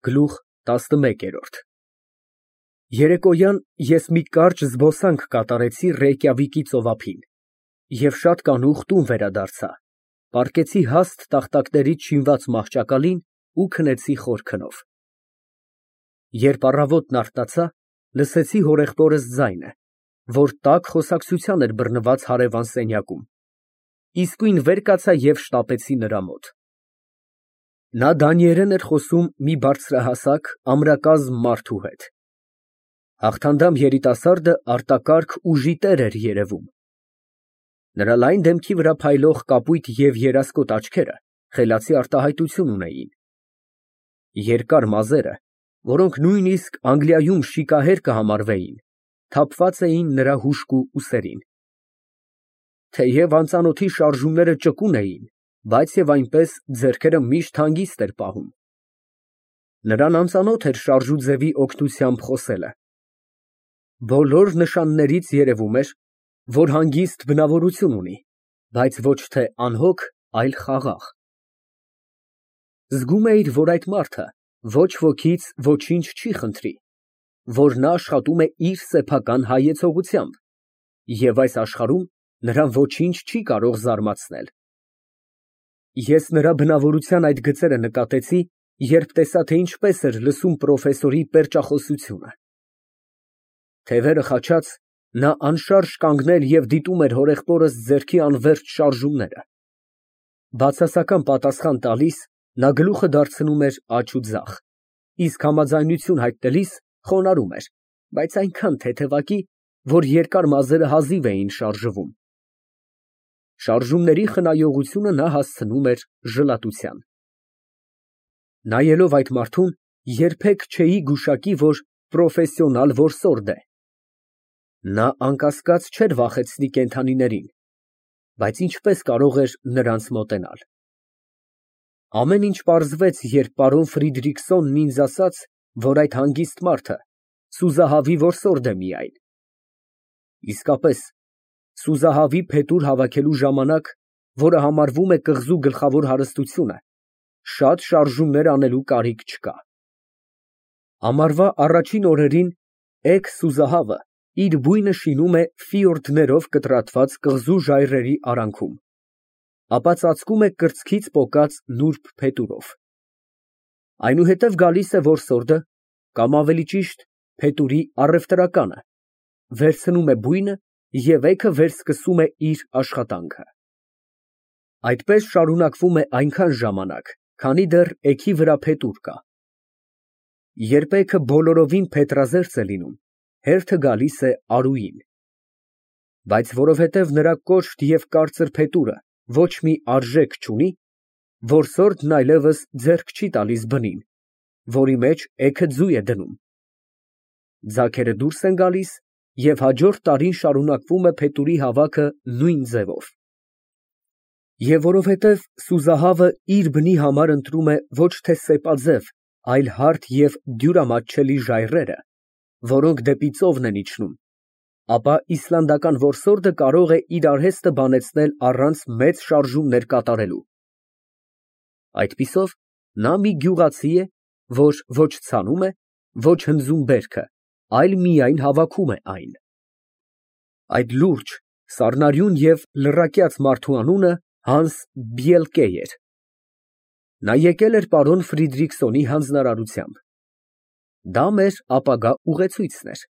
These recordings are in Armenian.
Գլուխ տասնմեկերորդ Երեկոյան ես մի կարճ զբոսանք կատարեցի Ռեյկյավիկի ծովափին և շատ կանուխ տուն վերադարձա, պառկեցի հաստ տախտակներից շինված մահճակալին ու քնեցի խոր քնով։ Երբ առավոտն արթնացա, լսեցի հորեղբորս ձայնը, որ տաք խոսակցության էր բռնված հարևան սենյակում, իսկույն վեր կացա և շտապեցի նրա մոտ։ Նա դանիերեն էր խոսում մի բարձրահասակ, ամրակազմ մարդու հետ։ Հաղթանդամ երիտասարդը արտակարգ ուժի տեր էր երևում։ Նրա լայն դեմքի վրա փայլող կապույտ և երասկոտ աչքերը խելացի արտահայտություն ունեին։ Երկար մազերը, որոնք նույնիսկ Անգլիայում շիկահեր կհամարվեին, թափված էին նրա հուժկու ուսերին։ Թեև անծանոթի շարժումները ճկուն էին, բայց և այնպես ձեռքերը միշտ հանգիստ էր պահում։ Նրան անծանոթ էր շարժուձևի օգնությամբ խոսելը։ Բոլոր նշաններից երևում էր, որ հանգիստ բնավորություն ունի, բայց ոչ թե անհոգ, այլ խաղաղ։ Զգում էիր, որ այդ մարդը ոչ ոքից ոչինչ չի խնդրի, որ նա աշխատում է իր սեփական հայեցողությամբ, և այս աշխարհում նրան ոչինչ չի կարող զարմացնել։ Ես նրա բնավորության այդ գծերը նկատեցի, երբ տեսա, թե ինչպես էր լսում պրոֆեսորի պերճախոսությունը։ Թևերը խաչած, նա անշարժ կանգնել և դիտում էր հորեղբորս ձեռքի անվերջ շարժումները։ Բացասական պատասխան տալիս, նա գլուխը դարձնում էր աջ ու ձախ, իսկ համաձայնություն հայտնելիս խոնարհում էր, բայց այնքան թեթևակի, որ երկար մազերը հազիվ էին շարժվում։ Շարժումների խնայողությունը նա հասցնում էր ժլատության։ Նայելով այդ մարդուն, երբեք չէի գուշակի, որ պրոֆեսիոնալ որսորդ է։ Նա անկասկած չէր վախեցնի կենդանիներին, բայց ինչպես կարող էր նրանց մոտենալ։ Ամեն ինչ պարզվեց, երբ պարոն Ֆրիդրիքսոնն ինձ ասաց, որ այդ հանգիստ մարդը սուզահավի որսորդ է միայն։ Իսկապես, սուզահավի փետուր հավաքելու ժամանակ, որը համարվում է կղզու գլխավոր հարստությունը, շատ շարժումներ անելու կարիք չկա։ Ամառվա առաջին օրերին էգ սուզահավը իր բույնը շինում է ֆիորդներով կտրատված կղզու ժայռերի արանքում, ապա ծածկում է կրծքից պոկած նուրբ փետուրով։ Այնուհետև գալիս է որսորդը, կամ ավելի ճիշտ, փետուրի առևտրականը, վերցնում է բույնը և էգը վերսկսում է իր աշխատանքը։ Այդպես շարունակվում է այնքան ժամանակ, քանի դեռ էգի վրա փետուր կա։ Երբ էգը բոլորովին փետրազերծ է լինում, հերթը գալիս է արուին։ Բայց որովհետև նրա կոշտ և կարծր փետուրը ոչ մի արժեք չունի, որսորդն այլևս ձեռք չի տալիս բնին, որի մեջ էգը ձուй է դնում։ Ձագերը դուրս են գալիս, և հաջորդ տարին շարունակվում է փետուրի հավաքը նույն ձևով։ Եվ որովհետև սուզահավը իր բնի համար ընտրում է ոչ թե սեպաձև, այլ հարթ և դյուրամատչելի ժայռերը, որոնք դեպի ծովն են իջնում, ապա իսլանդական որսորդը կարող է իր արհեստը բանեցնել առանց մեծ շարժումներ կատարելու։ Այդպիսով նա մի գյուղացի է, որ ոչ ցանում է, ոչ հնձում բերքը, այլ միայն հավաքում է այն։ Այդ լուրջ, սառնարյուն և լռակյաց մարդու անունը Հանս Բիելկե էր։ Նա եկել էր պարոն Ֆրիդրիքսոնի հանձնարարությամբ։ Դա մեր ապագա ուղեցույցն էր։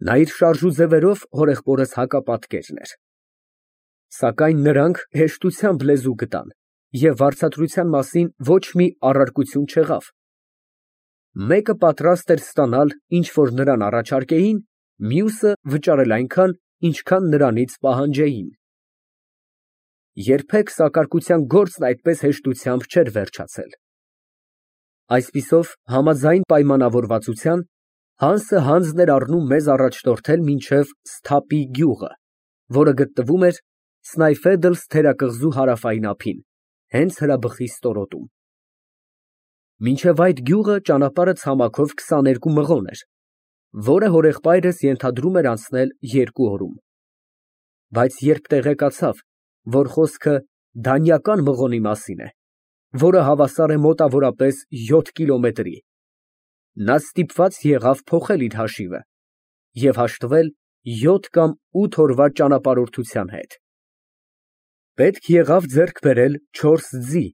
Նա իր շարժուձևերով հորեղբորս հակապատկերն էր։ Սակայն նրանք հեշտությամբ լեզու գտան և վարձատրության մասին ոչ մի առարկություն չեղավ։ Մեկը պատրաստ էր ստանալ, ինչ որ նրան առաջարկեին, մյուսը վճարել այնքան, ինչքան նրանից պահանջեին։ Երբեք սակարկության գործն այդպես հեշտությամբ չէր վերջացել։ Այսպիսով, համաձայն պայմանավորվածության, Հանսը հանձն էր առնում մեզ առաջնորդել մինչև Սթափի գյուղը, որը գտնվում էր Սնայֆեդլս թերակղզու հարավային ափին, հենց հրաբխի ստորոտում։ Մինչև այդ գյուղը ճանապարհը ցամաքով 22 մղոն էր, որը հորեղբայրս ենթադրում էր անցնել 2 օրում։ Բայց երբ տեղեկացավ, որ խոսքը դանիական մղոնի մասին է, որը հավասար է մոտավորապես 7 կիլոմետրի։ Նա ստիպված եղավ փոխել իր հաշիվը և հաշտվել 7 կամ 8 օրվա ճանապարհորդության հետ։ Պետք եղավ ձեռք բերել 4 ձի,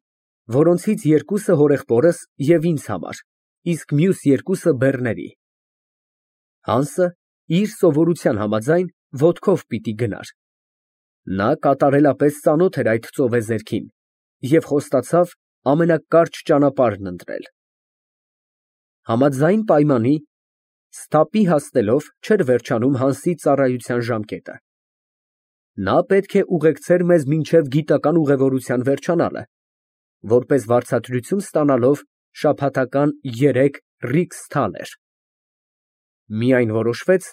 որոնցից երկուսը հորեղբորս և ինձ համար, իսկ մյուս երկուսը բեռների։ Հանսը իր սովորության համաձայն ոտքով պիտի գնար։ Նա կատարելապես ծանոթ էր այդ ծովեզերքին և խոստացավ ամենակարճ ճանապարհն ընտրել։ Համաձայն պայմանի, Սթափի հասնելով չէր վերջանում Հանսի ծառայության ժամկետը։ Նա պետք է ուղեկցեր մեզ մինչև գիտական ուղևորության վերջանալը, որպես վարձատրություն ստանալով շաբաթական 3 ռիքս թալեր։ Միայն որոշվեց,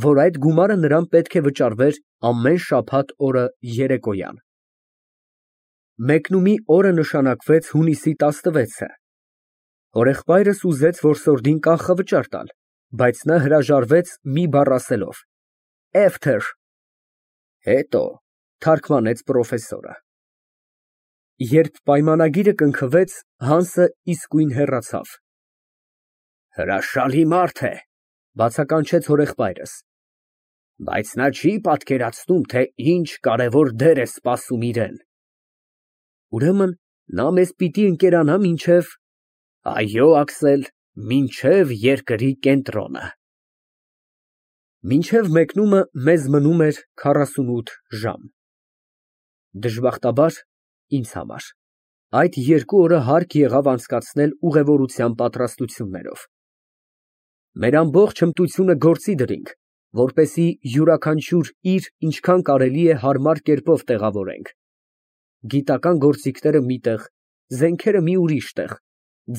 որ այդ գումարը նրան պետք է վճարվեր ամեն շաբաթ օրը երեկոյան։ Մեկնումի օրը նշանակվեց հունիսի 16-ը։ Հորեղբայրս ուզեց որսորդին կանխավճար տալ, բայց նա հրաժարվեց մի բառ ասելով. After։ Հետո, թարգմանեց պրոֆեսորը։ Երբ պայմանագիրը կնքվեց, Հանսը իսկույն հեռացավ։ Հրաշալի մարդ է, բացականչեց հորեղբայրս, բայց նա չի պատկերացնում, թե ինչ կարևոր դեր է սպասում իրեն։ Ուրեմն նա մեզ պիտի ընկերանա մինչև… Այո, Աքսել, մինչև երկրի կենտրոնը։ Մինչև մեկնումը մեզ մնում էր 48 ժամ։ Դժբախտաբար ինձ համար այդ 2 օրը հարկ եղավ անցկացնել ուղևորության պատրաստություններով։ Մեր ամբողջ հմտությունը գործի դրինք, որպեսզի յուրաքանչյուր իր ինչքան կարելի է հարմար կերպով տեղավորենք։ Գիտական գործիքները մի տեղ, զենքերը մի ուրիշ տեղ,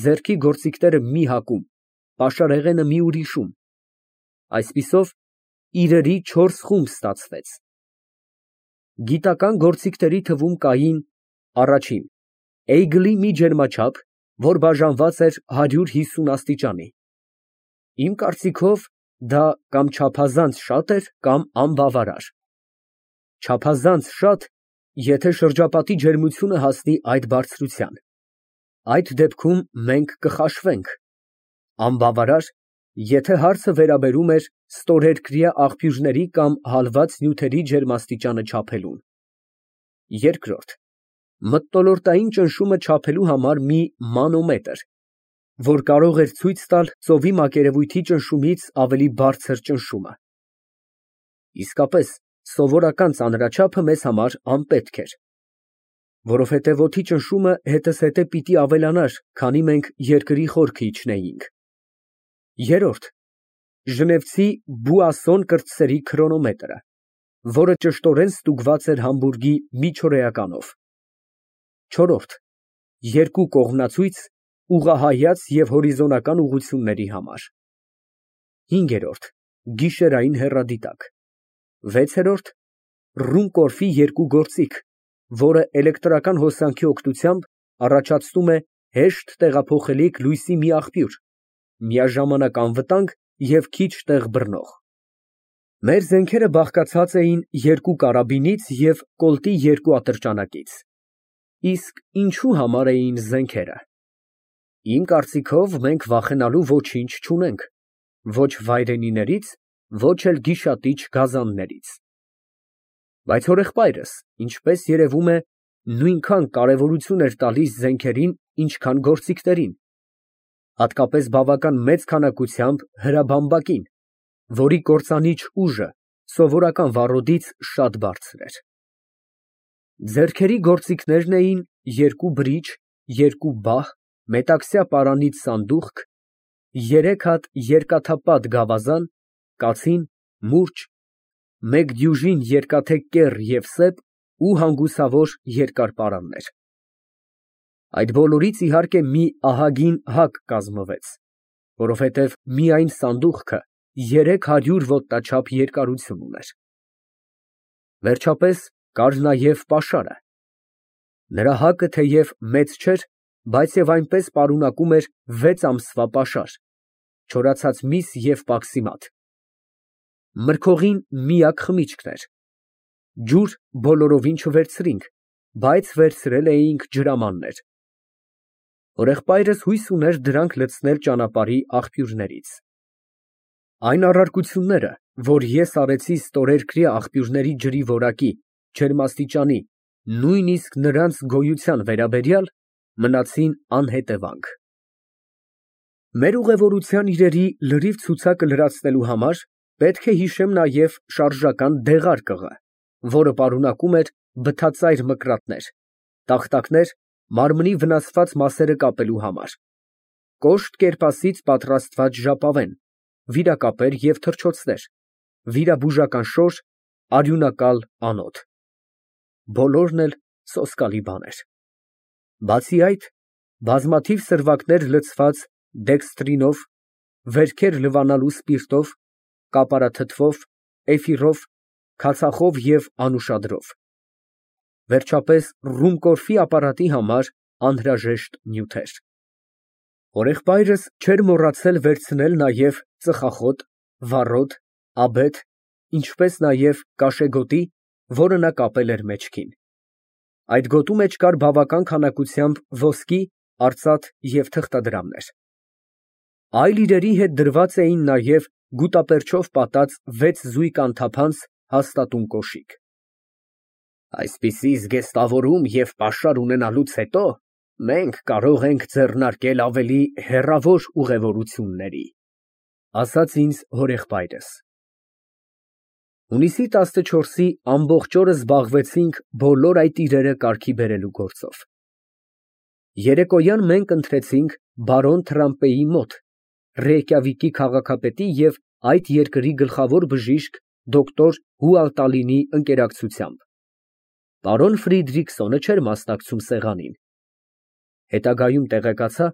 ձեռքի գործիքները մի հակում, պաշարեղենը մի ուրիշում։ Այսպիսով իրերի 4 խումբ ստացվեց։ Գիտական գործիքների թվում կային. Առաջին՝ էյգլի մի ջերմաչափ, որ բաժանված էր 150 աստիճանի։ Իմ կարծիքով դա կամ չափազանց շատ էր, կամ անբավարար։ Չափազանց շատ, եթե շրջապատի ջերմությունը հասնի այդ բարձրության։ Այդ դեպքում մենք կխաշվենք։ Անբավարար, եթե հարցը վերաբերում էր ստորերկրյա աղբյուրների կամ հալված նյութերի ջերմաստիճանը չափելուն։ Երկրորդ՝ մթնոլորտային ճնշումը չափելու համար մի մանոմետր, որ կարող էր ցույց տալ ծովի մակերևույթի ճնշումից ավելի բարձր ճնշումը։ Իսկապես, սովորական ծանրաչափը մեզ համար անպետք էր, որովհետև օդի ճնշումը հետզհետե պիտի ավելանար, քանի մենք երկրի խորքը իջնեինք։ Երրորդ՝ ժնևցի Բուասսոն կրտսերի քրոնոմետրը, որը ճշտորեն ստուգված էր Համբուրգի միջօրեականով։ Չորրորդ՝ 2 կողմնացույց ուղղահայաց և հորիզոնական ուղղությունների համար։ Հինգերորդ՝ գիշերային հեռադիտակ։ Վեցերորդ՝ Ռումկորֆի 2 գործիք, որը էլեկտրական հոսանքի օգնությամբ առաջացնում է հեշտ տեղափոխելիք լույսի մի աղբյուր, միաժամանակ անվտանգ և քիչ տեղ բռնող։ Մեր զենքերը բաղկացած էին 2 կարաբինից և կոլտի 2 ատրճանակից։ Իսկ ինչու համար էին զենքերը։ Իմ կարծիքով, մենք վախենալու ոչինչ չունենք, ոչ վայրենիներից, ոչ էլ գիշատիչ գազաններից։ Բայց հորեղբայրս, ինչպես երևում է, նույնքան կարևորություն էր տալիս զենքերին, ինչքան գործիքներին, հատկապես բավական մեծ քանակությամբ հրաբամբակին, որի կործանիչ ուժը սովորական վառոդից շատ բարձր էր։ Ձեռքերի գործիքներն էին 2 բրիչ, 2 բահ, մետաքսյա պարանից սանդուղք, 3 հատ երկաթապատ գավազան, կացին, մուրճ, 1 դյուժին երկաթե կեռ և սեպ ու հանգուսավոր երկար պարաններ։ Այդ բոլորից, իհարկե, մի ահագին հակ կազմվեց, որովհետև միայն սանդուղքը 300 ոտնաչափ երկարություն ուներ։ Վերջապես կար նաև պաշարը։ Նրա հակը թեև մեծ չէր, բայց և այնպես պարունակում էր 6 ամսվա պաշար, չորացած միս և պաքսիմատ։ Մրգողին միակ խմիչքն էր։ Ջուր բոլորովին չվերցրինք, բայց վերցրել էինք ջրամաններ։ Հորեղբայրս հույս ուներ դրանք լցնել ճանապարհի աղբյուրներից։ Այն առարկությունները, որ ես արեցի ստորերկրյա աղբյուրների ջրի որակի, ջերմաստիճանի, նույնիսկ նրանց գոյության վերաբերյալ, մնացին անհետևանք։ Մեր ուղևորության իրերի լրիվ ցուցակը լրացնելու համար պետք է հիշեմ նաև շարժական դեղարկղը, որը պարունակում էր բթածայր մկրատներ, տախտակներ մարմնի վնասված մասերը կապելու համար, կոշտ կերպասից պատրաստված ժապավեն, վիրակապեր և թռչոցներ, վիրաբուժական շոր, արյունակալ անոթ, բոլորն էլ սոսկալի բաներ։ Բացի այդ, բազմաթիվ սրվակներ լցված դեքստրինով, վերքեր լվանալու սպիրտով, կապարաթթվով, էֆիրով, քացախով և անուշադրով, վերջապես ռումկորֆի ապարատի համար անհրաժեշտ նյութեր։ Հորեղբայրս չէր մոռացել վերցնել նաև ծխախոտ, վառոդ, աբեթ, ինչպես նաև կաշեգոտի, որը նա կապել էր մեջքին։ Այդ գոտու մեջ կար բավական քանակությամբ ոսկի, արծաթ և թղթադրամներ։ Այլ իրերի հետ դրված էին նաև գուտապերչով պատած 6 զույգ անթափանց հաստատուն կոշիկ։ Այսպիսի զգեստավորում և պաշար ունենալուց հետո մենք կարող ենք ձեռնարկել ավելի հեռավոր ուղևորությունների, ասաց ինձ հորեղբայրս։ Հունիսի 14-ի ամբողջ օրը զբաղվեցինք բոլոր այդ իրերը կարգի բերելու գործով։ Երեկոյան մենք ընթրեցինք բարոն Թրամպեի մոտ, Ռեյկյավիկի քաղաքապետի և այդ երկրի գլխավոր բժիշկ դոկտոր Հուալտալինի ընկերակցությամբ։ Պարոն Ֆրիդրիքսոնը չէր մասնակցում սեղանին։ Հետագայում տեղեկացա,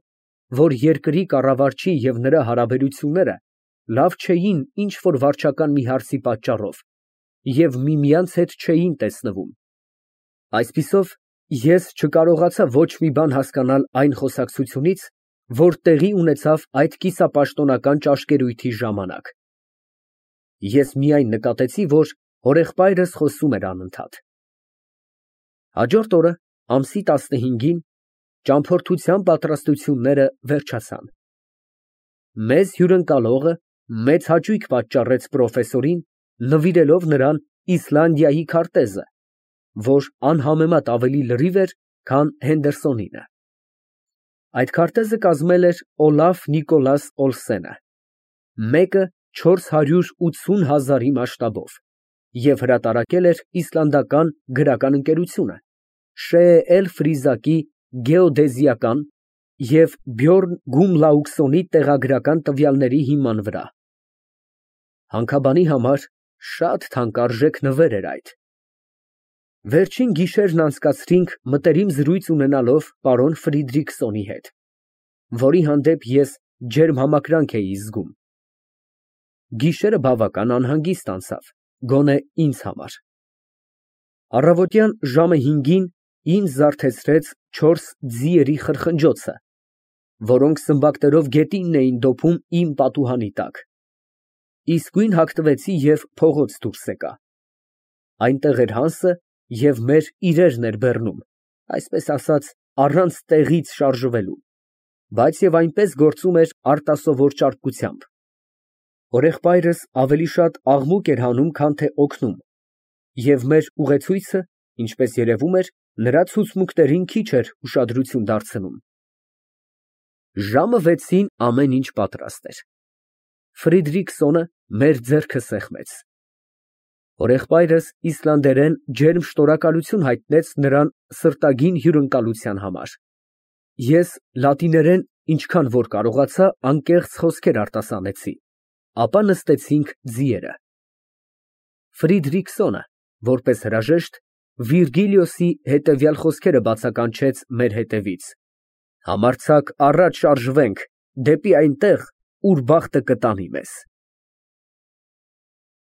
որ երկրի կառավարչի և նրա հարաբերությունները լավ չէին ինչ֊որ վարչական մի հարցի պատճառով և միմյանց հետ չէին տեսնվում։ Այսպիսով, ես չկարողացա ոչ մի բան հասկանալ այն խոսակցությունից, որ տեղի ունեցավ այդ կիսապաշտոնական ճաշկերույթի ժամանակ։ Ես միայն նկատեցի, որ հորեղբայրս խոսում էր անընդհատ։ Հաջորդ օրը, ամսի 15-ին, ճամփորդության պատրաստությունները վերջացան։ Մեզ հյուրընկալողը մեծ հաճույք պատճառեց պրոֆեսորին, նվիրելով նրան Իսլանդիայի քարտեզը, որ անհամեմատ ավելի լրիվ էր, քան Հենդերսոնինը։ Այդ քարտեզը կազմել էր Օլաֆ Նիկոլաս Օլսենը, մեկը 480,000-ի մասշտաբով և հրատարակել էր իսլանդական գրական ընկերությունը Շեել Ֆրիզակի գեոդեզիական և Բյորն Գումլաուքսոնի տեղագրական տվյալների հիման վրա։ Հանքաբանի համար շատ թանկարժեք նվեր էր այդ։ Վերջին գիշերն անցկացրինք մտերիմ զրույց ունենալով պարոն Ֆրիդրիքսոնի հետ, որի հանդեպ ես ջերմ համակրանք էի զգում։ Գիշերը բավական անհանգիստ անցավ, գոնե ինձ համար։ Առավոտյան ժամը 5-ին ինձ զարթեցրեց 4 ձիերի խրխնջոցը, որոնք սմբակներով գետինն էին դոփում իմ պատուհանի տակ։ Իսկույն հագնվեցի և փողոց դուրս եկա։ Այնտեղ էր Հանսը և մեր իրերն էր բեռնում, այսպես ասած, առանց տեղից շարժվելու, բայց և այնպես գործում էր արտասովոր ճարպկությամբ։ Հորեղբայրս ավելի շատ աղմուկ էր հանում, քան թե օգնում, և մեր ուղեցույցը, ինչպես երևում էր, նրա ցուցմունքներին քիչ էր ուշադրություն դարձնում։ Ժամը 6-ին ամեն ինչ պատրաստ էր։ Ֆրիդրիքսոնը մեր ձեռքը սեղմեց։ Հորեղբայրս իսլանդերեն ջերմ շնորհակալություն հայտնեց նրան սրտագին հյուրընկալության համար։ Ես լատիներեն ինչքան որ կարողացա անկեղծ խոսքեր արտասանեցի, ապա նստեցինք ձիերը։ Ֆրիդրիքսոնը, որպես հրաժեշտ, Վիրգիլիոսի հետևյալ խոսքերը բացականչեց մեր հետևից. «Համարձակ առաջ շարժվենք դեպի այն տեղ, ուր բախտը կտանի մեզ»։